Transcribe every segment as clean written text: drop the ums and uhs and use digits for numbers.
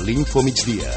l'Info Migdia.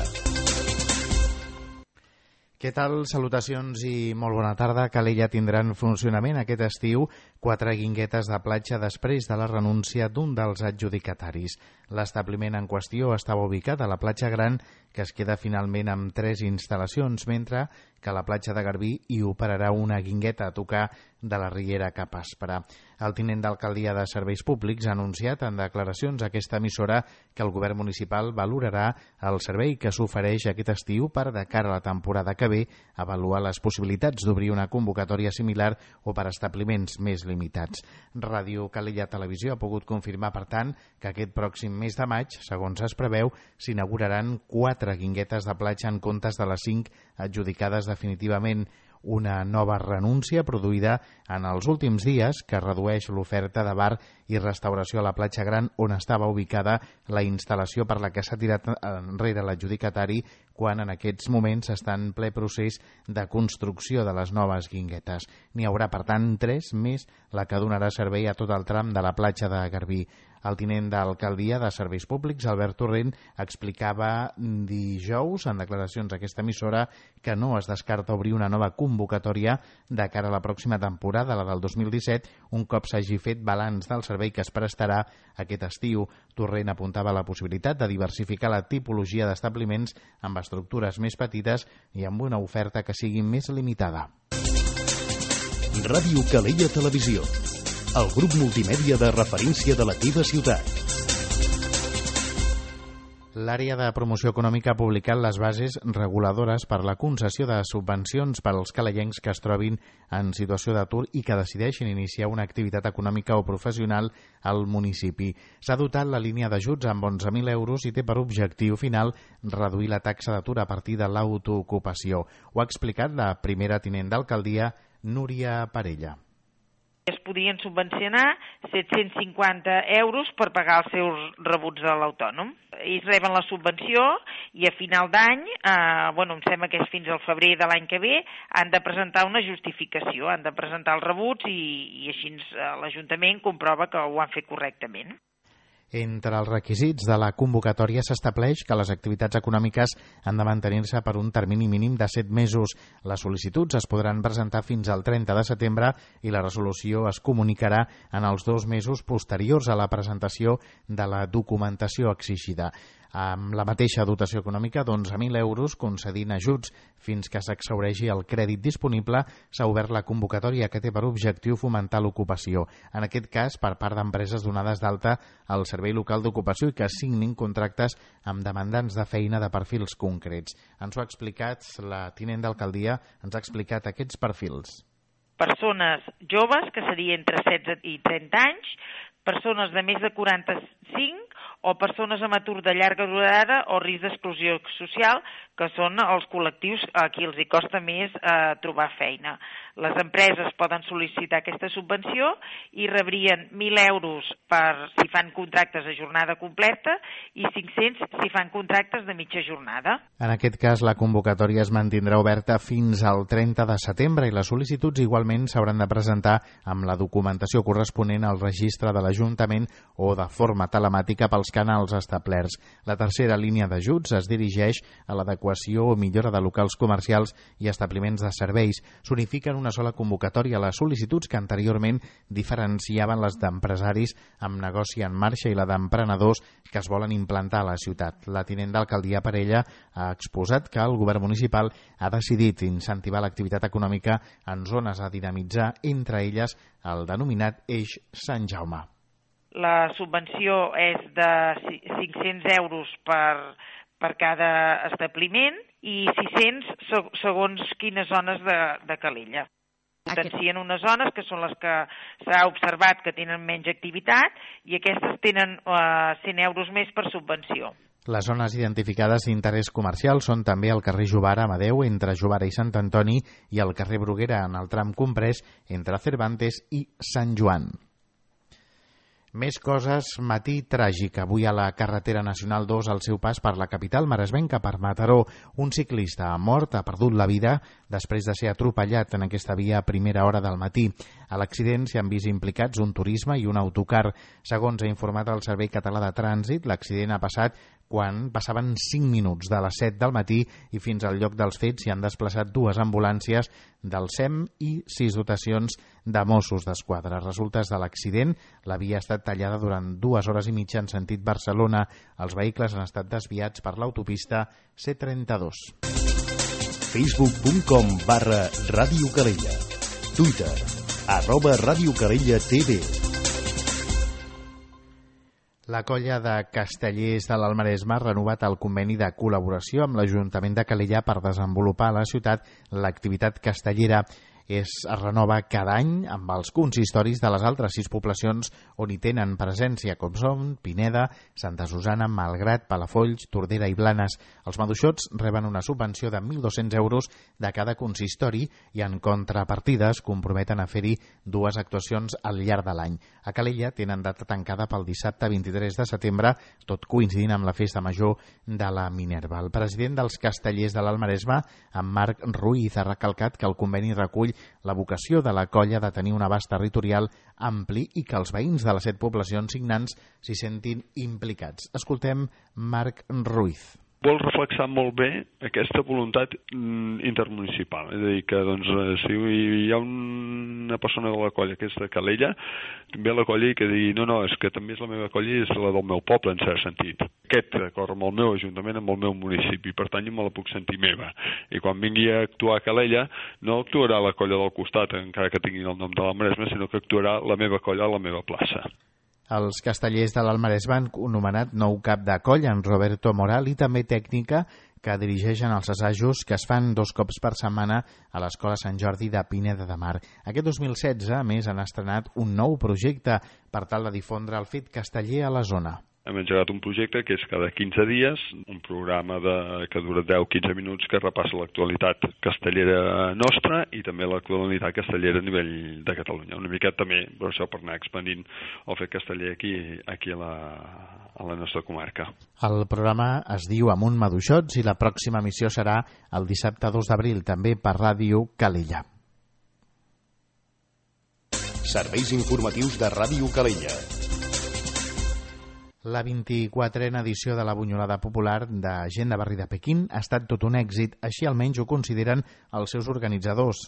Què tal? Salutacions i molt bona tarda. Calella tindrà en funcionament aquest estiu 4 guinguetes de platja després de la renúncia d'un dels adjudicataris. L'establiment en qüestió estava ubicat a la platja Gran, que es queda finalment amb 3 instal·lacions, mentre que a la platja de Garbí hi operarà una guingueta a tocar de la Riera cap a Aspra. El tinent d'alcaldia de Serveis Públics ha anunciat en declaracions a aquesta emissora que el govern municipal valorarà el servei que s'ofereix aquest estiu per, de cara a la temporada que ve, avaluar les possibilitats d'obrir una convocatòria similar o per establiments més limitats. Ràdio Calella Televisió ha pogut confirmar, per tant, que aquest pròxim mes de maig, segons es preveu, s'inauguraran 4 guinguetes de platja en comptes de les 5 adjudicades definitivament. Una nova renúncia produïda en els últims dies que redueix l'oferta de bar i restauració a la platja Gran, on estava ubicada la instal·lació per la que s'ha tirat enrere l'adjudicatari, quan en aquests moments està en ple procés de construcció de les noves guinguetes. N'hi haurà, per tant, 3 més la que donarà servei a tot el tram de la platja de Garbí. El tinent d'alcaldia de Serveis Públics, Albert Torrent, explicava dijous en declaracions a aquesta emissora que no es descarta obrir una nova convocatòria de cara a la pròxima temporada, la del 2017, un cop s'hagi fet balanç del servei que es prestarà aquest estiu. Torrent apuntava la possibilitat de diversificar la tipologia d'establiments amb estructures més petites i amb una oferta que sigui més limitada. Ràdio Calella Televisió, el grup multimèdia de referència de la teva ciutat. L'àrea de promoció econòmica ha publicat les bases reguladores per la concessió de subvencions per als calellencs que es trobin en situació d'atur i que decideixin iniciar una activitat econòmica o professional al municipi. S'ha dotat la línia d'ajuts amb 11.000 euros i té per objectiu final reduir la taxa d'atur a partir de l'autoocupació. Ho ha explicat la primera tinent d'alcaldia, Núria Parella. Es podien subvencionar 750 euros per pagar els seus rebuts de l'autònom. Ells reben la subvenció i a final d'any, em sembla que és fins al febrer de l'any que ve, han de presentar una justificació, han de presentar els rebuts i així l'Ajuntament comprova que ho han fet correctament. Entre els requisits de la convocatòria s'estableix que les activitats econòmiques han de mantenir-se per un termini mínim de 7 mesos. Les sol·licituds es podran presentar fins al 30 de setembre i la resolució es comunicarà en els 2 mesos posteriors a la presentació de la documentació exigida. Amb la mateixa dotació econòmica d'11.000 euros, concedint ajuts fins que s'exhaureixi el crèdit disponible, s'ha obert la convocatòria que té per objectiu fomentar l'ocupació. En aquest cas, per part d'empreses donades d'alta al Servei Local d'Ocupació i que signin contractes amb demandants de feina de perfils concrets. Ens ho ha explicat la tinent d'alcaldia, ens ha explicat aquests perfils. Persones joves, que seria entre 16 i 30 anys, persones de més de 45 o persones amb atur de llarga durada o risc d'exclusió social, que són els col·lectius a qui els hi costa més trobar feina. Les empreses poden sol·licitar aquesta subvenció i rebrien 1.000 euros si fan contractes de jornada completa i 500 si fan contractes de mitja jornada. En aquest cas, la convocatòria es mantindrà oberta fins al 30 de setembre i les sol·licituds igualment s'hauran de presentar amb la documentació corresponent al registre de l'Ajuntament o de forma telemàtica pels canals establerts. La tercera línia d'ajuts es dirigeix a l'adequació o millora de locals comercials i establiments de serveis. S'unifiquen una sola convocatòria a les sol·licituds que anteriorment diferenciaven les d'empresaris amb negoci en marxa i la d'emprenedors que es volen implantar a la ciutat. La tinent d'alcaldia Parella ha exposat que el govern municipal ha decidit incentivar l'activitat econòmica en zones a dinamitzar, entre elles el denominat Eix Sant Jaume. La subvenció és de 500 euros per cada establiment i 600 segons quines zones de Calella. Potencien unes zones que són les que s'ha observat que tenen menys activitat i aquestes tenen 100 euros més per subvenció. Les zones identificades d'interès comercial són també el carrer Jovara Amadeu entre Jovara i Sant Antoni i el carrer Bruguera en el tram comprès entre Cervantes i Sant Joan. Més coses, matí tràgic. Avui a la carretera nacional 2 al seu pas per la capital maresmenca per Mataró. Un ciclista mort ha perdut la vida després de ser atropellat en aquesta via a primera hora del matí. A l'accident s'hi han vist implicats un turisme i un autocar. Segons ha informat el Servei Català de Trànsit, l'accident ha passat quan passaven 5 minuts de les 7 del matí i fins al lloc dels fets s'hi han desplaçat 2 ambulàncies del SEM i 6 dotacions de Mossos d'Esquadra. Resultes de l'accident, la via ha estat tallada durant 2 hores i mitja en sentit Barcelona. Els vehicles han estat desviats per l'autopista C32. Facebook.com/Ràdio Calella. Twitter @Ràdio Calella TV. La colla de castellers de l'Almaresme ha renovat el conveni de col·laboració amb l'Ajuntament de Calella per desenvolupar a la ciutat l'activitat castellera. Es renova cada any amb els consistoris de les altres 6 poblacions on hi tenen presència, com són Pineda, Santa Susana, Malgrat, Palafolls, Tordera i Blanes. Els maduixots reben una subvenció de 1.200 euros de cada consistori i en contrapartida es comprometen a fer-hi 2 actuacions al llarg de l'any. A Calella tenen data tancada pel dissabte 23 de setembre, tot coincidint amb la festa major de la Minerva. El president dels castellers de l'Almaresme, en Marc Ruiz, ha recalcat que el conveni recull la vocació de la colla de tenir un abast territorial ampli i que els veïns de les 7 poblacions signants s'hi sentin implicats. Escoltem Marc Ruiz. Vol reflexar molt bé aquesta voluntat intermunicipal. És a dir, que si hi ha una persona de la colla que és de Calella, ve a la colla i que digui no, és que també és la meva colla i és la del meu poble, en cert sentit. Aquest d'acord amb el meu ajuntament, amb el meu municipi, per tant jo me la puc sentir meva. I quan vingui a actuar a Calella, no actuarà la colla del costat, encara que tinguin el nom de l'Almaresme, sinó que actuarà la meva colla a la meva plaça. Els castellers de l'Almaresme han nomenat nou cap de colla, en Roberto Moral, i també tècnica que dirigeixen els assajos que es fan 2 cops per setmana a l'Escola Sant Jordi de Pineda de Mar. Aquest 2016, a més, han estrenat un nou projecte per tal de difondre el fet casteller a la zona. Hem engegat un projecte que és cada 15 dies, un programa que dura 10-15 minuts que repassa l'actualitat castellera nostra i també l'actualitat castellera a nivell de Catalunya. Una miqueta també, per això, per anar expandint el fet casteller aquí a la nostra comarca. El programa es diu Amunt Maduixots i la pròxima emissió serà el dissabte 2 d'abril, també per Ràdio Calella. Serveis informatius de Ràdio Calella. La 24a edició de la Bunyolada Popular de Gent de Barri de Pequín ha estat tot un èxit, així almenys ho consideren els seus organitzadors,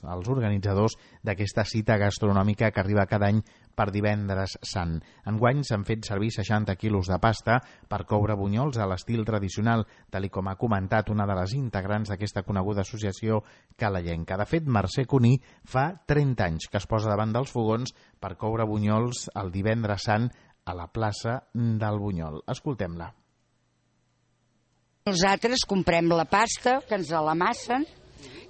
d'aquesta cita gastronòmica que arriba cada any per Divendres Sant. Enguany s'han fet servir 60 quilos de pasta per coure bunyols a l'estil tradicional, tal com ha comentat una de les integrants d'aquesta coneguda associació calellenca. De fet, Mercè Cuní fa 30 anys que es posa davant dels fogons per coure bunyols el Divendres Sant a la plaça del Bunyol. Escoltem-la. Nosaltres comprem la pasta, que ens l'amassen,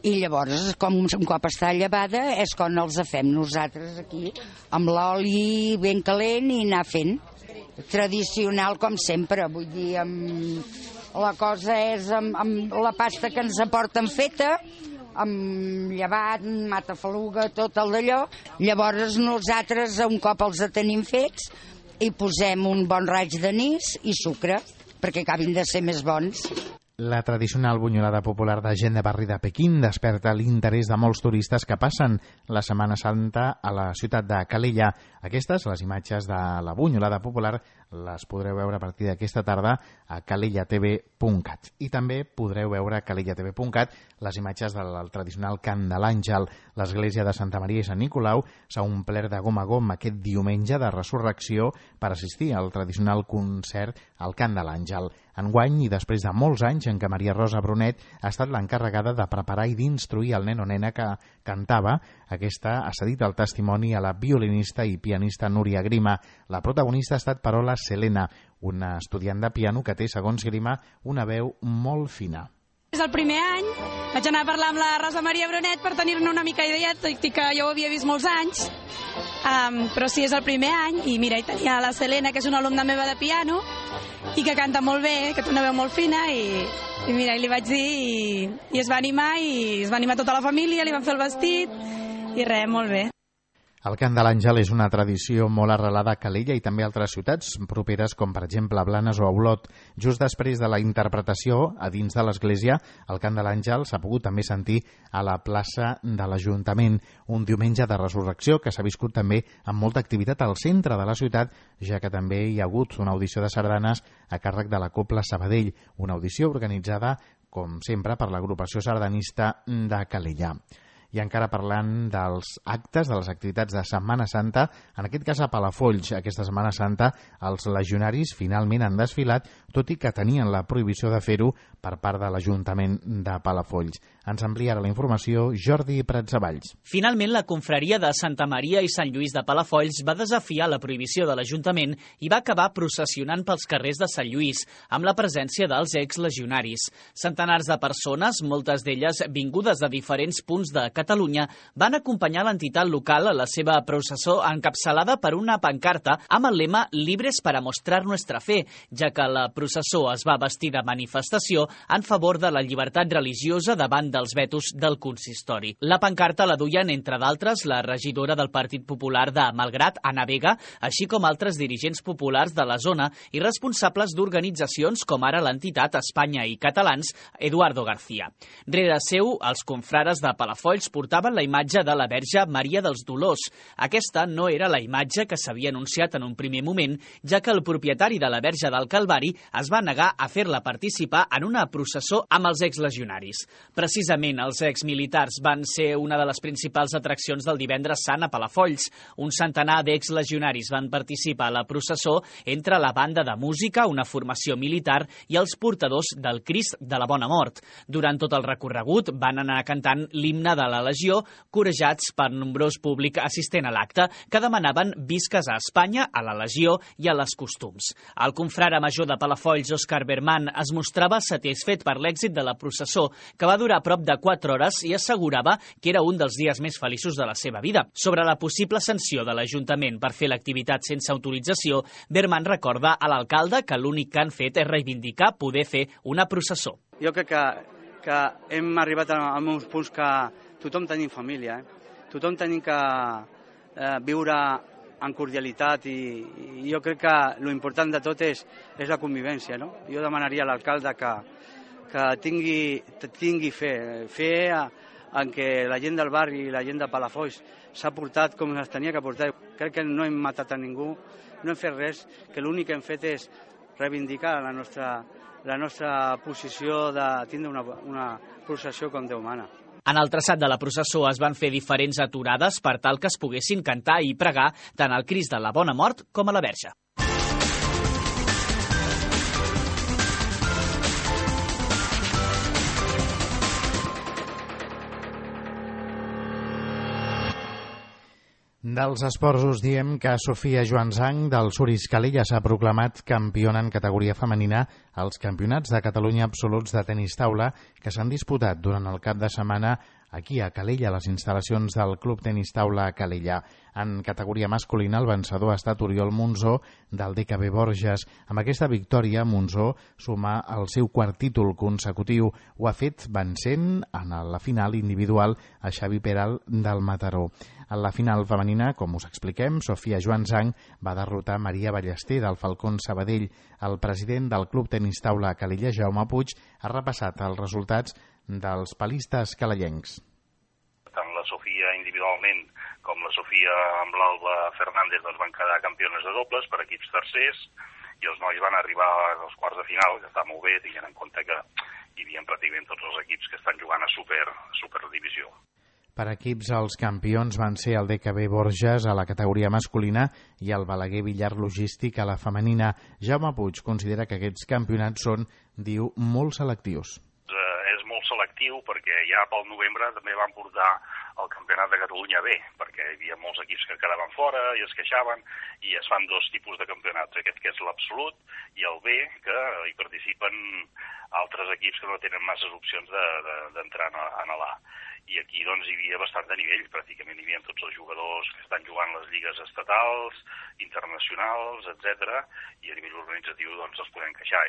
i llavors, com un cop està llevada, és quan els fem nosaltres aquí, amb l'oli ben calent i anar fent. Tradicional, com sempre, vull dir, la cosa és amb la pasta que ens aporten feta, amb llevat, matafaluga, tot el d'allò. Llavors nosaltres, un cop els tenim fets, hi posem un bon raig d'anís i sucre, perquè acabin de ser més bons. La tradicional bunyolada popular de Gent de Barri de Pequín desperta l'interès de molts turistes que passen la Setmana Santa a la ciutat de Calella. Aquestes, les imatges de la bunyolada popular, les podreu veure a partir d'aquesta tarda a calellatv.cat. I també podreu veure a calellatv.cat les imatges del tradicional Cant de l'Àngel. L'església de Santa Maria i Sant Nicolau s'ha omplert de gom a gom aquest diumenge de resurrecció per assistir al tradicional concert al Cant de l'Àngel. Enguany, i després de molts anys en què Maria Rosa Brunet ha estat l'encarregada de preparar i d'instruir el nen o nena que cantava, aquesta ha cedit el testimoni a la violinista i pianista Núria Grima. La protagonista ha estat Parola Selena, una estudiant de piano que té, segons Grima, una veu molt fina. És el primer any, vaig anar a parlar amb la Rosa Maria Brunet per tenir-ne una mica idea, tot i que jo ho havia vist molts anys, però sí, és el primer any, i mira, hi tenia la Selena, que és una alumna meva de piano, i que canta molt bé, que té una veu molt fina, i mira, li vaig dir, i es va animar tota la família, li van fer el vestit, i res, molt bé. El Cant de l'Àngel és una tradició molt arrelada a Calella i també a altres ciutats properes com per exemple Blanes o Olot. Just després de la interpretació a dins de l'església, el Cant de l'Àngel s'ha pogut també sentir a la plaça de l'Ajuntament, un diumenge de resurrecció que s'ha viscut també amb molta activitat al centre de la ciutat, ja que també hi ha hagut una audició de sardanes a càrrec de la Cobla Sabadell, una audició organitzada, com sempre, per l'agrupació sardanista de Calella. I encara parlant dels actes, de les activitats de Setmana Santa, en aquest cas a Palafolls, aquesta Setmana Santa, els legionaris finalment han desfilat, tot i que tenien la prohibició de fer-ho per part de l'Ajuntament de Palafolls. Ens amplia ara la informació Jordi Pratsavalls. Finalment, la confraria de Santa Maria i Sant Lluís de Palafolls va desafiar la prohibició de l'Ajuntament i va acabar processionant pels carrers de Sant Lluís, amb la presència dels exlegionaris. Centenars de persones, moltes d'elles vingudes de diferents punts de Catalunya, van acompanyar l'entitat local a la seva processó encapçalada per una pancarta amb el lema «Libres para mostrar nuestra fe», ja que la processó es va vestir de manifestació en favor de la llibertat religiosa davant dels vetos del consistori. La pancarta la duien, entre d'altres, la regidora del Partit Popular de Malgrat, Ana Vega, així com altres dirigents populars de la zona i responsables d'organitzacions com ara l'entitat Espanya i Catalans, Eduardo García. Rere seu, els confrares de Palafolls portaven la imatge de la Verge Maria dels Dolors. Aquesta no era la imatge que s'havia anunciat en un primer moment, ja que el propietari de la Verge del Calvari es va negar a fer-la participar en una processó amb els exlegionaris. Precisament, els exmilitars van ser una de les principals atraccions del divendres sant a Palafolls. Un centenar d'exlegionaris van participar a la processó entre la banda de música, una formació militar i els portadors del Crist de la Bona Mort. Durant tot el recorregut van anar cantant l'himne de la Legió, corejats per nombrós públic assistent a l'acte, que demanaven visques a Espanya, a la Legió i a les costums. El confrare major de Palafolls, Òscar Berman, es mostrava satisfet per l'èxit de la processó, que va durar prop de 4 hores i assegurava que era un dels dies més feliços de la seva vida. Sobre la possible sanció de l'Ajuntament per fer l'activitat sense autorització, Berman recorda a l'alcalde que l'únic que han fet és reivindicar poder fer una processó. Jo crec que hem arribat a uns punts que tothom tenim família, tothom tenim que viure en cordialitat i jo crec que l'important de tot és la convivència. No? Jo demanaria a l'alcalde que tingui fe en què la gent del barri i la gent de Palafolls s'ha portat com es tenia que portar. Crec que no hem matat a ningú, no hem fet res, que l'únic que hem fet és reivindicar la nostra posició de tindre una processió com Déu mana. En el traçat de la processó es van fer diferents aturades per tal que es poguessin cantar i pregar tant al Crist de la Bona Mort com a la Verge. Dels esports us diem que Sofia Joansang del Suris Calella s'ha proclamat campiona en categoria femenina als Campionats de Catalunya absoluts de tenis taula que s'han disputat durant el cap de setmana aquí a Calella, a les instal·lacions del Club Tenis Taula Calella. En categoria masculina, el vencedor ha estat Oriol Monzó, del DKB Borges. Amb aquesta victòria, Monzó suma el seu quart títol consecutiu. Ho ha fet vencent en la final individual a Xavi Peral del Mataró. En la final femenina, com us expliquem, Sofia Joansang va derrotar Maria Ballester del Falcón Sabadell. El president del Club Tenis Taula Calella, Jaume Puig, ha repassat els resultats dels palistes calellencs. Tant la Sofia individualment com la Sofia amb l'Alba Fernández van quedar campiones de dobles per equips tercers i els nois van arribar als quarts de final, que està molt bé, tenint en compte que hi havia pràcticament tots els equips que estan jugant a Superdivisió. Per equips, els campions van ser el DKB Borges a la categoria masculina i el Balaguer Villar Logístic a la femenina. Jaume Puig considera que aquests campionats són, diu, molt selectius. És molt selectiu perquè ja pel novembre també van portar el Campionat de Catalunya B, perquè hi havia molts equips que quedaven fora i es queixaven, i es fan dos tipus de campionats, aquest que és l'absolut i el B, que hi participen altres equips que no tenen masses opcions d'entrar en l'A. I aquí doncs hi havia bastant de nivell, pràcticament hi havia tots els jugadors que estan jugant les lligues estatals, internacionals, etc. I a nivell organitzatiu doncs els podem queixar.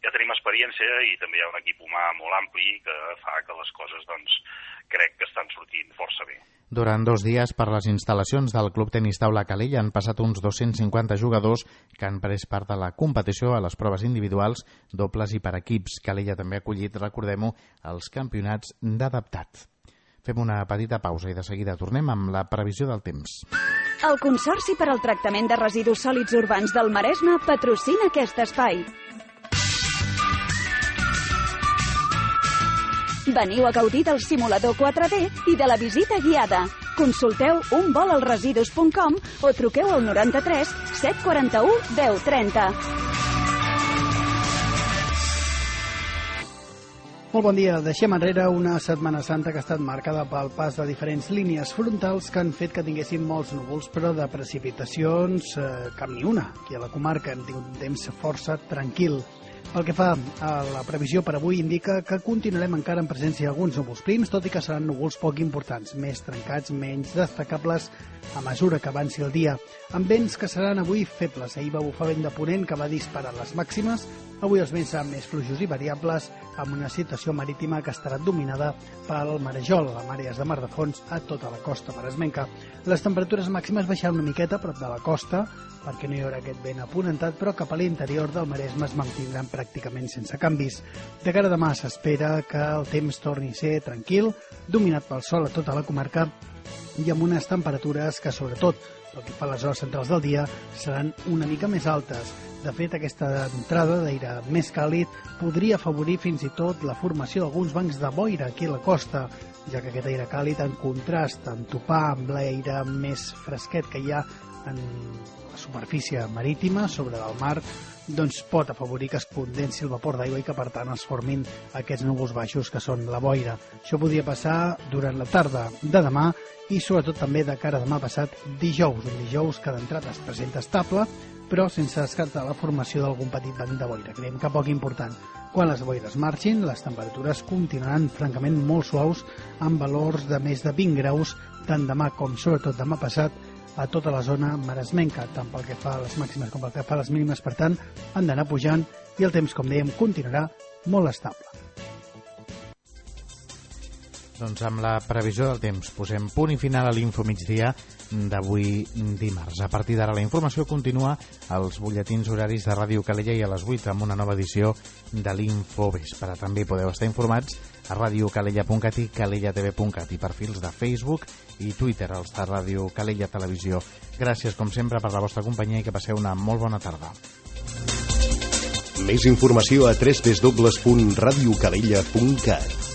ja tenim experiència i també hi ha un equip humà molt ampli que fa que les coses, doncs, crec que estan sortint força bé. Durant 2 dies, per les instal·lacions del Club Tenis Taula Calella han passat uns 250 jugadors que han pres part de la competició a les proves individuals, dobles i per equips. Calella també ha acollit, recordem-ho, els campionats d'adaptat. Fem una petita pausa i de seguida tornem amb la previsió del temps. El Consorci per al Tractament de Residus Sòlids Urbans del Maresme patrocina aquest espai. Veniu a gaudir del simulador 4D i de la visita guiada. Consulteu unvolalresidus.com o truqueu al 93 741 1030. Molt bon dia. Deixem enrere una Setmana Santa que ha estat marcada pel pas de diferents línies frontals que han fet que tinguéssim molts núvols, però de precipitacions cap ni una. Aquí a la comarca hem tingut un temps força tranquil. Pel que fa a la previsió per avui, indica que continuarem encara en presència d'alguns núvols prims, tot i que seran núvols poc importants, més trencats, menys destacables a mesura que avanci el dia, amb vents que seran avui febles. Ahir va bufar vent de ponent que va disparar les màximes. Avui els vents seran més fluixos i variables, amb una situació marítima que estarà dominada pel marejol, a àrees de mar de fons a tota la costa maresmenca. Les temperatures màximes baixaran una miqueta a prop de la costa, perquè no hi haurà aquest vent aponentat, però cap a l'interior del Maresme es mantindran pràcticament sense canvis. De cara a demà s'espera que el temps torni a ser tranquil, dominat pel sol a tota la comarca i amb unes temperatures que, sobretot, pel que fa a les hores centrals del dia, seran una mica més altes. De fet, aquesta entrada d'aire més càlid podria afavorir fins i tot la formació d'alguns bancs de boira aquí a la costa, ja que aquest aire càlid, en contrast, en topar amb l'aire més fresquet que hi ha en la superfície marítima, sobre del mar, doncs pot afavorir que es condensi el vapor d'aigua i que, per tant, es formin aquests núvols baixos que són la boira. Això podria passar durant la tarda de demà i, sobretot, també de cara a demà passat dijous, un dijous que d'entrada es presenta estable, però sense descartar la formació d'algun petit banc de boira. Creiem que poc important. Quan les boires marxin, les temperatures continuaran francament molt suaus, amb valors de més de 20 graus, tant demà com sobretot demà passat, a tota la zona maresmenca, tant pel que fa a les màximes com pel que fa a les mínimes. Per tant, han d'anar pujant i el temps, com dèiem, continuarà molt estable. Doncs amb la previsió del temps posem punt i final a l'Info Migdia d'avui dimarts. A partir d'ara la informació continua als butlletins horaris de Ràdio Calella i a les 8 amb una nova edició de l'Info Vespre. També podeu estar informats a radiocalella.cat i calellatv.cat i perfils de Facebook i Twitter als de Ràdio Calella Televisió. Gràcies, com sempre, per la vostra companyia i que passeu una molt bona tarda. Més informació a www.radiocalella.cat.